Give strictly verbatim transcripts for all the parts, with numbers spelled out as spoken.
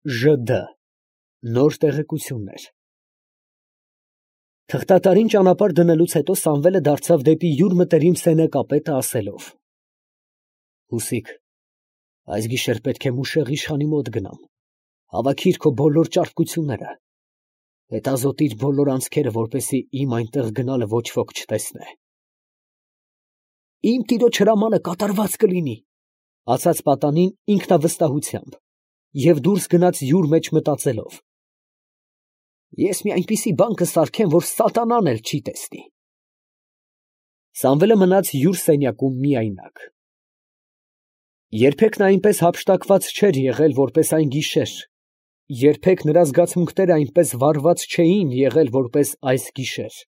Ժ Դ Նոր տեղեկություններ։ Թղթատարին ճանապարհ դնելուց հետո Սամվելը դարձավ դեպի յուր մտերիմ սենյակապետը, ասելով. Հուսիկ, այս գիշեր պետք է Մուշեղ իշխանի մոտ գնամ, հավաքիր քո բոլոր ճարպկությունները, հետազոտիր բոլոր անցքերը, որպեսզի իմ այնտեղ գնալը ոչ ոք չտեսնե։ Իմ տիրոջ հրամանը կատարված կլինի, ասաց պատանին ինքնավստահությամբ և դուրս գնաց յուր մեջ մտածելով. ես մի այնպիսի բան կսարքեմ, որ սատանան էլ չի տեսնի։ Սամվելը մնաց յուր սենյակում միայնակ։ Երբեք նա այնպես հափշտակված չէր եղել, որպես այն գիշեր, երբեք նրա զգացմունքները այնպես վառված չէին եղել, որպես այս գիշեր։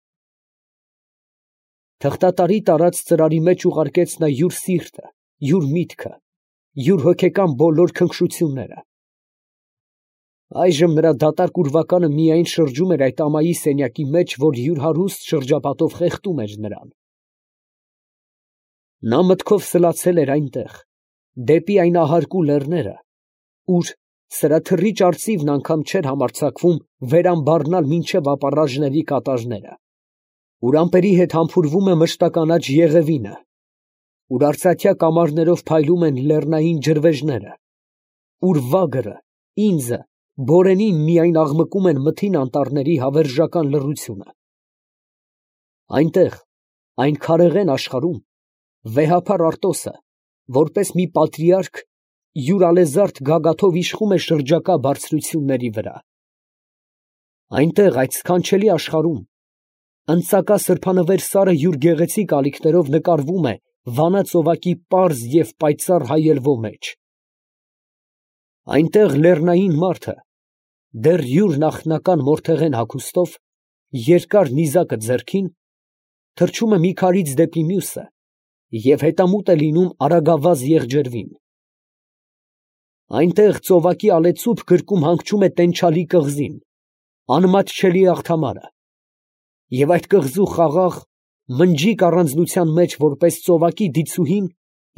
Թղթատարի տարած ծրարի մեջ ուղարկեց նա յուր սիրտը, յուր միտքը, յուր հոգեկան բոլոր քնքշությունները։ Այժմ նրա դատարկ ուրվականը միայն շրջում էր այդ ամայի սենյակի մեջ, որ յուր հարուստ շրջապատով խեղդում էր նրան։ Նա մտքով սլացել էր այնտեղ, դեպի այն ահարկու լեռները, ուր սրաթռիչ արծիվն անգամ չէր համարձակվում վերամբառնալ մինչև ապառաժների կատաժները, ուր ամպերի հետ համբուրվում է մշտականաչ եղևինը, ուր արծաթյա կամարներով փայլում են լեռնային ջրվեժները, ուր վագրը, ինձը, բորենին միայն աղմկում են մթին անտառների հավերժական լռությունը։ Այնտեղ, այն քարեղեն աշխարհում, վեհափար Արտոսը, որպես մի պատրիարք, յուր ալեզարդ գագաթով իշխում է շրջակա բարձրությունների վրա։ Այնտեղ, այդ սքանչելի աշխարհում, ընծակա սրբանվեր սարը յուր գեղեցիկ ալիքներով նկարվում է Վանա ծովակի պարզ և պայծառ հայելվո մեջ։ Այնտեղ լեռնային մարդը, դեռ յուր նախնական մորթեղեն հագուստով, երկար նիզակը ձեռքին, թռչում է մի քարից դեպի մյուսը և հետամուտ է լինում արագավազ եղջերվին։ Այնտեղ ծովակի ալեծուփ գրկում հանգչում է տենչալի կղզին, անմատչելի աղթամարը, և այդ կղզու խաղաղ, մնջիկ առանձնության մեջ, որպես ծովակի դիցուհին,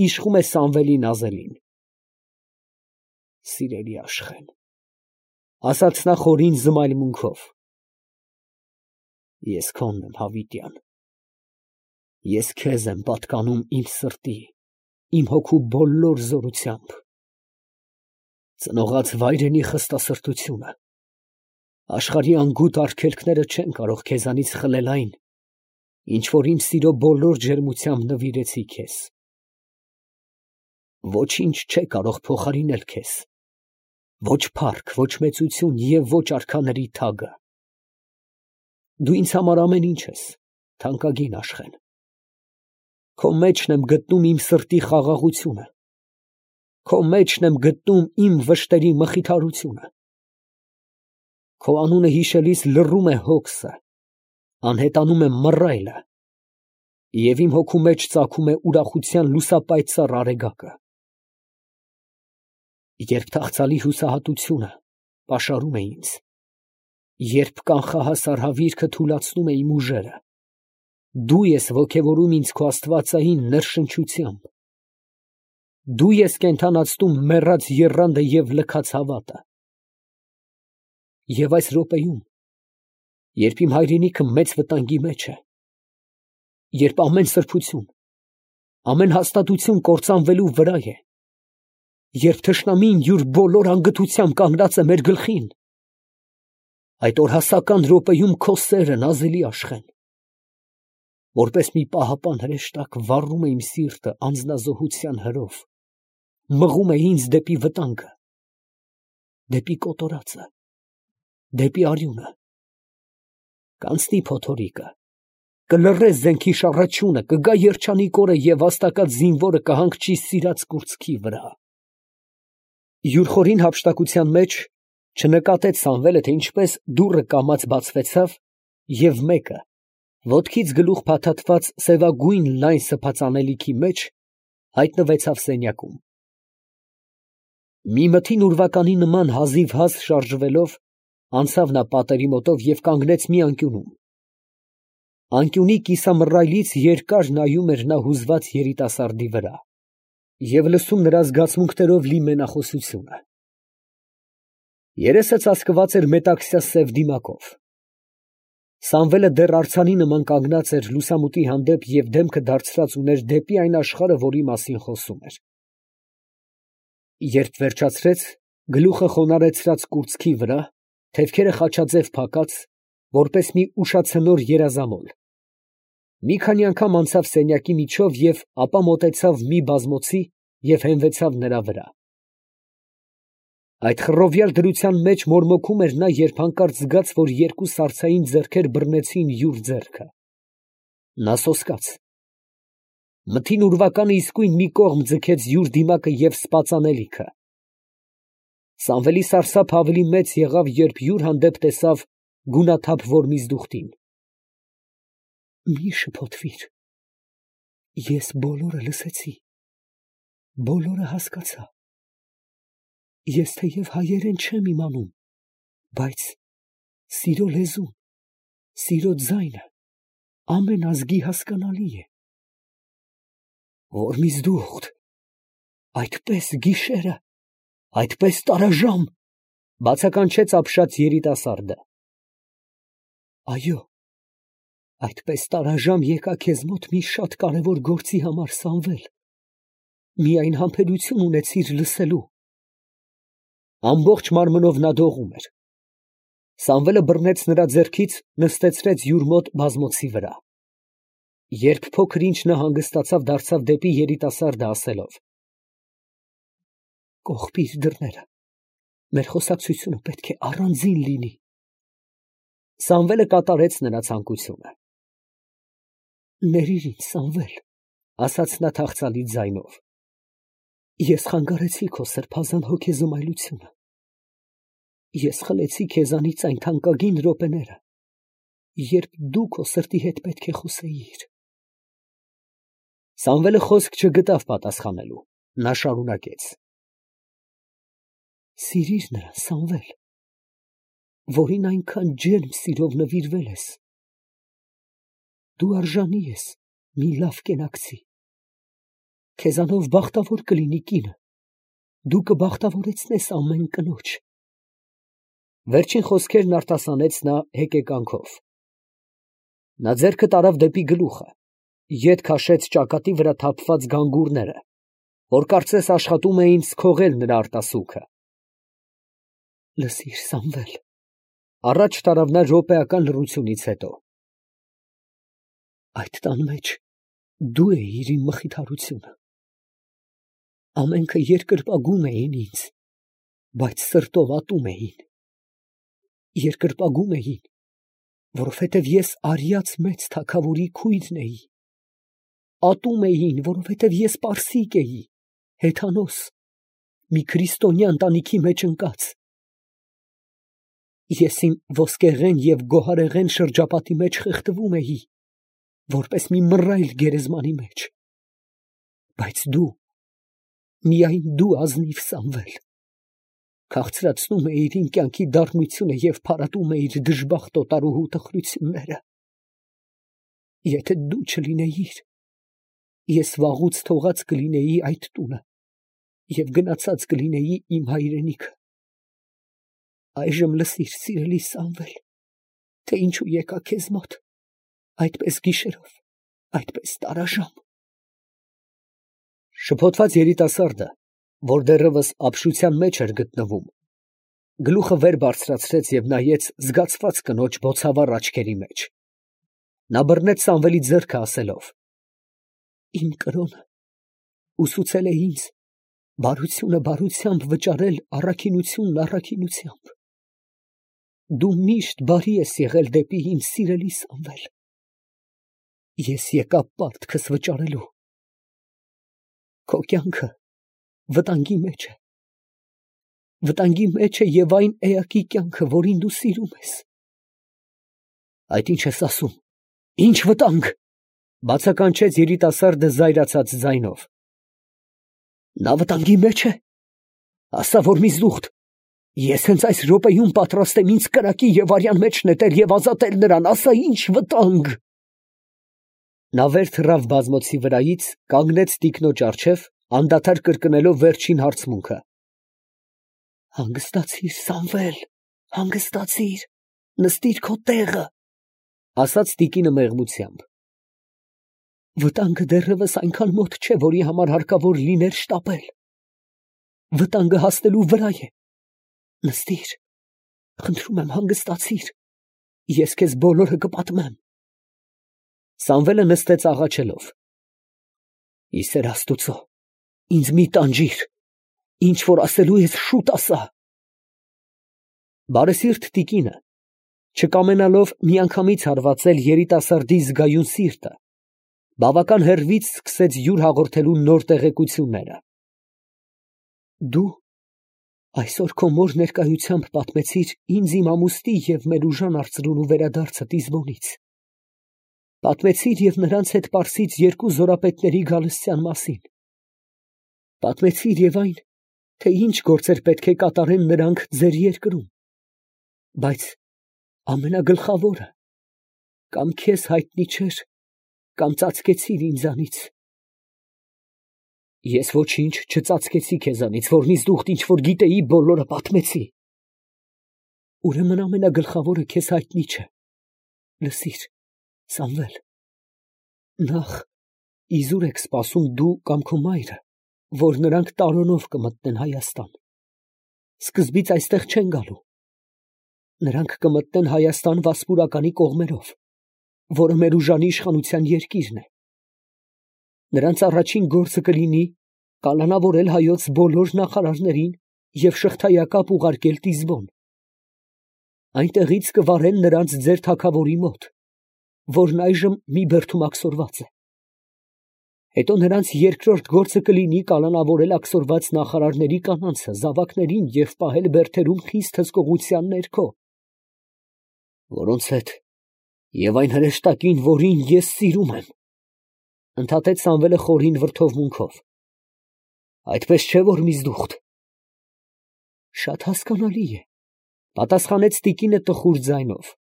իշխում է Սամվելի նազելին։ Սիրելի Աշխեն, ասաց նա խորին զմայլմունքով, ես քոնն եմ, հավիտյան, ես քեզ եմ պատկանում իմ սրտի, իմ հոգու բոլոր զորությամբ։ Ծնողած վայրենի խստասրտությունը, աշխարհի անգութ արգելքները չեն կարող քեզանից խլել այն, ինչ որ իմ սիրո բոլոր ջերմությամբ նվիրեցի քեզ։ Ոչինչ չէ կարող փոխարինել քեզ, ոչ փառք, ոչ մեծություն և ոչ արքաների թագը։ Դու ինձ համար ամեն ինչ ես, թանկագին Աշխեն։ Քո մեջն եմ գտնում իմ սրտի խաղաղությունը, քո մեջն եմ գտնում իմ վշտերի մխիթարությունը։ Քո անունը հիշելիս լռում է հոգսը, անհետանում է մռայլը, և իմ հոգու մեջ ծագում է ուրախության լուսապայծառ արեգակը։ Երբ թախծալի հուսահատությունը պաշարում է ինձ, երբ կանխահասար հավիրքը թուլացնում է իմ ուժերը, դու ես ոգևորում ինձ քո աստվածային ներշնչությամբ, դու ես կենդանացնում մեռած եռանդը և լքած հավատը։ Եվ այս րոպեում, երբ իմ հայրենիքը մեծ վտանգի մեջ է, երբ ամեն սրբություն, ամեն հաստատություն կործանվելու վրա է, երբ թշնամին յուր բոլոր անգթությամբ կանգնած է մեր գլխին, այդ օրհասական րոպեում քո սերը, նազելի Աշխեն, որպես մի պահապան հրեշտակ վառում է իմ սիրտը անձնազոհության հրով, մղում է ինձ դեպի վտանգը, դեպի կոտորածը, դեպի արյունը, կանցնի փոթորիկը, կլռե զենքի շառաչյունը, կգա երջանիկ օրը և վաստակած զինվորը կհանգչի սիրած կուրծքի վրա։ Յուր խորին հափշտակության մեջ չնկատեց Սամվելը, թե ինչպես դուռը կամաց բացվեցավ, և մեկը, ոտքից գլուխ փաթաթված սևագույն լայն սփած անելիքի մեջ, հայտնվեցավ սենյակում։ Մի մթին ուրվականի նման հազիվհազ շարժվելով, անցավ նա պատերի մոտով և կանգնեց մի անկյունում։ Անկյունի կիսամռայլից երկար նայում էր նա հուզված երիտասարդի վրա և լսում նրա զգացմունքներով լի մենախոսությունը։ Երեսը ծածկված էր մետաքսյա սև դիմակով։ Սամվելը դեռ արձանի նման կանգնած էր լուսամուտի հանդեպ և դեմքը դարձրած ուներ դեպի այն աշխարհը, որի մասին խոսում էր։ Երբ վերջացրեց, գլուխը խոնարհեցրած կուրծքի վրա, թևքերը խաչաձև փակած, որպես մի ուշացնոր երազամոլ, մի քանի անգամ անցավ սենյակի միջով և ապա մոտեցավ մի բազմոցի և հենվեցավ նրա վրա։ Այդ խռովյալ դրության մեջ մորմոքում էր նա, երբ հանկարծ զգաց, որ երկու սառցային ձեռքեր բռնեցին յուր ձեռքը։ Նա սոսկաց։ Մթին ուրվականը իսկույն մի կողմ ձգեց յուր դիմակը և սպաց անելիքը։ Սամվելի սարսափը ավելի մեծ եղավ, երբ յուր հանդեպ տեսավ գունաթափ Որմիզդուխտին։ Մի շփոթվիր, ես բոլորը լսեցի, բոլորը հասկացա։ Ես թեև հայերեն չեմ իմանում, բայց սիրո լեզուն, սիրո ձայնը ամեն ազգի հասկանալի է։ Որմիզդուխտ, այդպես գիշերը, այդպես տարաժամ, բացականչեց ապշած երիտասարդը։ Այո, այդպես տարաժամ եկա քեզ մոտ մի շատ կարևոր գործի համար, Սամվել, միայն համբերություն ունեցիր լսելու։ Ամբողջ մարմնով նա դողում էր։ Սամվելը բռնեց նրա ձեռքից, նստեցրեց յուր մոտ բազմոցի վրա։ Երբ փոքր ինչ նա հանգստացավ, դարձավ դեպի երիտասարդը, ասելով. Կողպիր դռները, մեր խոսակցությունը պետք է առանձին լինի։ Սամվելը կատարեց նրա ցանկությունը։ Ներիր ինձ, Սամվել, ասաց նա թախծալի ձայնով։ Ես խանգարեցի քո սրբազան հոգեզմայլությունը։ Ես խլեցի քեզանից այն թանկագին րոպեները, երբ դու քո սրտի հետ պետք է խոսեիր։ Սամվելը խոսք չգտավ պատասխանելու, նա շարունակեց. Սիրիր նրան, Սամվել, որին այնքան ջերմ սիրով նվիրվել ես։ Դու արժանի ես մի լավ կենակցի։ Քեզանով բախտավոր կլինի կինը, դու կբախտավորեցնես ամեն կնոջ։ Վերջին խոսքերն արտասանեց նա հեկեկանքով։ Նա ձեռքը տարավ դեպի գլուխը, ետ քաշեց ճակատի վրա թափված գանգուրները, որ կարծես աշխատում էին սքողել նրա արտասուքը։ Լսիր, Սամվել, առաջ տարավ նա րոպեական լռությունից հետո։ Այդ տան մեջ դու էիր իմ մխիթարությունը։ Ամենքը երկրպագում էին ինձ, բայց սրտով ատում էին։ Երկրպագում էին, որովհետև ես արիած մեծ թագավորի քույրն էի։ Ատում էին, որովհետև ես պարսիկ էի, հեթանոս, մի քրիստոնյա ընտանիքի մեջ ընկած։ Ես իմ ոսկեղեն և գոհարեղեն շրջապատի մեջ խեղդվում էի, որպես մի մռայլ գերեզմանի մեջ։ Բայց դու, միայն դու ազնիվ, Սամվել, քաղցրացնում էիր իմ կյանքի դառնությունը և փարատում էիր դժբախտ օտարուհու տխրությունները։ Եթե դու չլինեիր, ես վաղուց թողած կլինեի այդ տունը և գնացած կլինեի իմ հայրենիքը։ Այժմ լսիր, սիրելի Սամվել, թե ինչու եկա քեզ մոտ, այդպես գիշերով, այդպես տարաժամ։ Շփոթված երիտասարդը, որ դեռևս ապշության մեջ էր գտնվում, գլուխը վեր բարձրացրեց և նայեց զգացված կնոջ բոցավառ աչքերի մեջ։ Նա բռնեց Սամվելի ձեռքը, ասելով. Իմ կրոնը ուսուցել է ինձ բարությունը բարությամբ վճարել առաքինությունն առաքինությամբ։ Դու միշտ բարի ես եղել դեպի ինձ, սիրելի Սամվել։ Ես եկա պարտքս վճարելու։ Քո կյանքը վտանգի մեջ է։ Վտանգի մեջ է և այն էակի կյանքը, որին դու սիրում ես։ Այդ ի՞նչ ես ասում, ի՞նչ վտանգ, բացականչեց երիտասարդը զայրացած ձայնով։ Նա վտանգի մեջ է, ասա, Որմիզդուխտ, ես հենց այս րոպեում պատրաստ եմ ինձ կրակի և արյան մեջ նետել և ազատել նրան, ասա, ի՞նչ վտանգ։ Նա վեր թռավ բազմոցի վրայից, կանգնեց տիկնոջ առջև, անդադար կրկնելով վերջին հարցմունքը։ Հանգստացիր, Սամվել, հանգստացիր, նստիր քո տեղը, ասաց տիկինը մեղմությամբ։ Վտանգը դեռևս այնքան մոտ չէ, որի համար հարկավոր լիներ շտապել։ Վտանգը հասնելու վրա է։ Նստիր, խնդրում եմ, հանգստացիր, ես քեզ բոլորը կպատմեմ։ Սամվելը նստեց աղաչելով։ Ի սեր Աստուծո, ինձ մի տանջիր, ինչ որ ասելու ես շուտ ասա։ Բարեսիրտ տիկինը, չկամենալով միանգամից հարվածել երիտասարդի զգայուն սիրտը, բավական հեռվից սկսեց յուր հաղորդելու նոր տեղեկությունները։ Դու այսօր քո մոր ներկայությամբ պատմեցիր ինձ իմ ամուսնի և մեր ուժան արծրունու վերադարձը Տիզբոնից։ Պատմեցիր և նրանց հետ Պարսից երկու զորապետների գալստյան մասին։ Պատմեցիր և այն, թե ինչ գործեր պետք է կատարեն նրանք ձեր երկրում։ Բայց ամենագլխավորը, կամ քեզ հայտնի չէր, կամ ծածկեցիր ինձանից։ Ես ոչինչ չծածկեցի քեզանից, որնից դուք ինչ որ գիտեի, բոլորը պատմեցի։ Ուրեմն ամենագլխավորը քեզ հայտնի չէ։ Լսիր, Սամվել, նախ իզուր եք սպասում դու կամ քո մայրը, որ նրանք տարոնով կմտնեն Հայաստան։ Սկզբից այստեղ չեն գալու։ Նրանք կմտնեն Հայաստան Վասպուրականի կողմերով, որը մեր ուժանի իշխանության երկիրն է։ Նրանց առաջին գործը կլինի կալանավորել հայոց բոլոր նախարարներին և շղթայակապ ուղարկել Տիզբոն։ Այնտեղից կվարեն նրանց ձեր թագավորի մոտ, որն այժմ մի բերդում աքսորված է։ Հետո նրանց երկրորդ գործը կլինի կալանավորել աքսորված նախարարների կանանցը, զավակներին և պահել բերդերում խիստ հսկողության ներքո, որոնց հետ և այն հրեշտակին, որին ես սիրում եմ, ընդհատեց Սամվելը խորին վրդովմունքով։ Այդպես չէ, որ միզդուխտ։ Շատ հասկանալի է, պատասխանեց տիկինը տխուր ձայնով։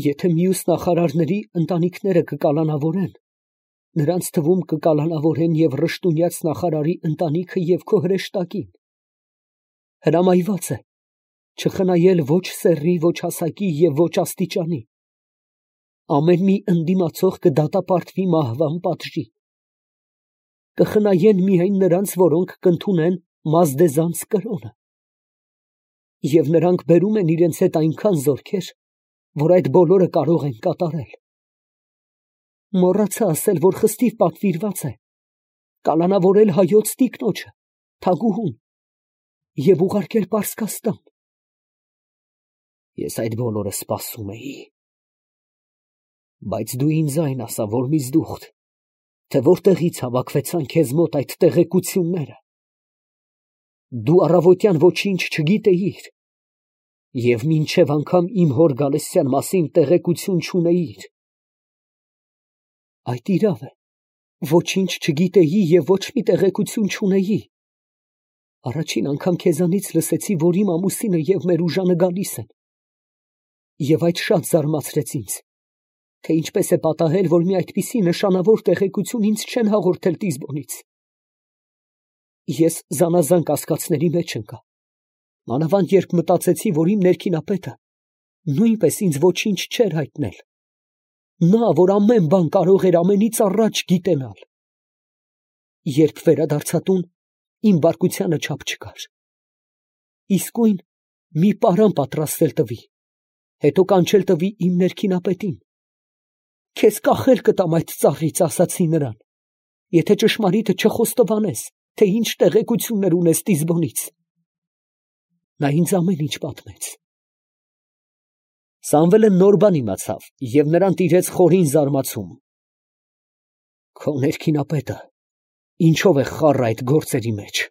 Եթե մյուս նախարարների ընտանիքները կկալանավորեն, նրանց թվում կկալանավորեն և Ռշտունյաց նախարարի ընտանիքը և քո հրեշտակին։ Հրամայված է չխնայել ոչ սեռի, ոչ հասակի և ոչ աստիճանի։ Ամեն մի ընդդիմացող կդատապարտվի մահվան պատժի։ Կխնայեն միայն նրանց, որոնք կընդունեն Մազդեզանց կրոնը։ Եվ նրանք բերում են իրենց հետ այնքան զորքեր, որ այդ բոլորը կարող են կատարել։ Մոռացա ասել, որ խստիվ պատվիրված է կալանավորել հայոց տիկնոջը, թագուհուն, և ուղարկել Պարսկաստան։ Ես այդ բոլորը սպասում էի։ Բայց դու ինձ այն ասա, որ միզդուխտ, թե որտեղից հավաքվեցան քեզ մոտ այդ տեղեկությունները։ Դու առավոտյան ոչինչ չգիտեիր և մինչև անգամ իմ հոր գալստյան մասին տեղեկություն չունեիր։ Այդ իրավ է, ոչինչ չգիտեի և ոչ մի տեղեկություն չունեի։ Առաջին անգամ քեզանից լսեցի, որ իմ ամուսինը և մեր ուժանը գալիս են։ Եվ այդ շատ զարմացրեց ինձ, թե ինչպես է պատահել, որ մի այդպիսի նշանավոր տեղեկություն ինձ չեն հաղորդել Տիզբոնից։ Ես զանազան կասկածների մեջ ընկա, մանավանդ երբ մտածեցի, որ իմ ներքինապետը նույնպես ինձ ոչինչ չէր հայտնել։ Նա, որ ամեն բան կարող էր ամենից առաջ գիտենալ։ Երբ վերադարձա տուն, իմ բարկությանը չափ չկար։ Իսկույն մի պարան պատրաստել տվի, հետո կանչել տվի իմ ներքինապետին։ Քեզ կախել կտամ այդ ծառից, ասացի նրան, եթե ճշմարիտը չխոստովանես, թե ինչ տեղեկություններ ունես Տիզբոնից։ Նա ինձ ամեն ինչ պատմեց։ Սամվելը նոր բան իմացավ և նրան տիրեց խորին զարմացում։ Քո ներքինապետը ինչո՞վ է խառը այդ գործերի մեջ,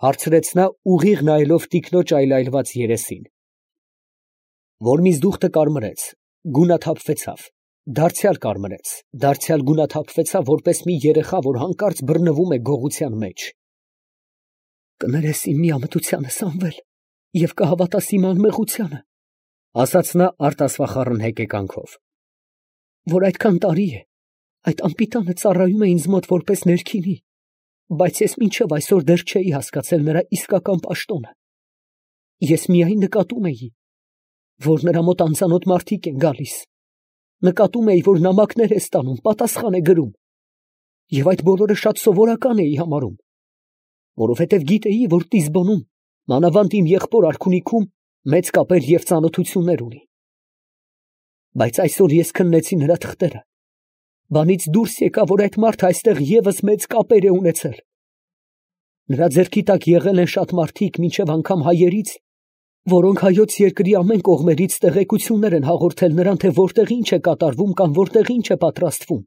հարցրեց նա ուղիղ նայելով տիկնոջ այլայլված երեսին։ Որ միզդուխտը կարմրեց, գունաթափվեցավ, դարձյալ կարմրեց, դարձյալ գունաթափվեցավ, որպես մի երեխա, որ հանկարծ բռնվում է գողության մեջ։ Կներես իմ միամտությանը, Սամվել, և կհավատաս իմ անմեղությանը, ասաց նա արտասվախառն հեկեկանքով, որ այդքան տարի է այդ անպիտանը ծառայում է ինձ մոտ որպես ներքինի, Բայց ես մինչև այսօր դեռ չէի հասկացել նրա իսկական պաշտոնը. ես միայն նկատում էի, որ նրա մոտ անծանոթ մարդիկ են գալիս, նկատում էի, որ նամակներ է ստանում, պատասխան է գրում, և այդ բոլորը շատ սովորական էի համարում, որովհետև գիտեի, որ Տիզբոնում, մանավանդ իմ եղբոր արքունիքում, մեծ կապեր և ծանոթություններ ունի։ Բայց այսօր ես քննեցի նրա թղթերը, բանից դուրս եկա, որ այդ մարդը այստեղ ևս մեծ կապեր է ունեցել։ Նրա ձեռքի տակ եղել են շատ մարդիկ, մինչև անգամ հայերից, որոնք հայոց երկրի ամեն կողմերից տեղեկություններ են հաղորդել նրան, թե որտեղ ինչ է կատարվում կամ որտեղ ինչ է պատրաստվում։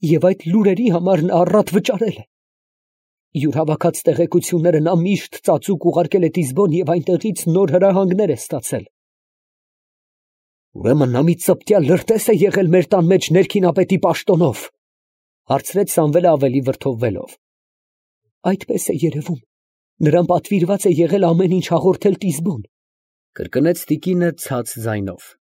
Եվ այդ լուրերի համար նա առատ վճարել է։ Յուր հավաքած տեղեկությունները նա միշտ ծածուկ ուղարկել է Տիզբոն և այնտեղից նոր հրահանգներ է ստացել։ Ուրեմն նա մի ծպտյալ լրտես է եղել մեր տան մեջ ներքինապետի պաշտոնով, հարցրեց Սամվելը ավելի վրդովվելով։ Այդպես է երևում, նրան պատվիրված է եղել ամեն ինչ հաղորդել Տիզբոն, կրկնեց տիկինը ցած ձայնով։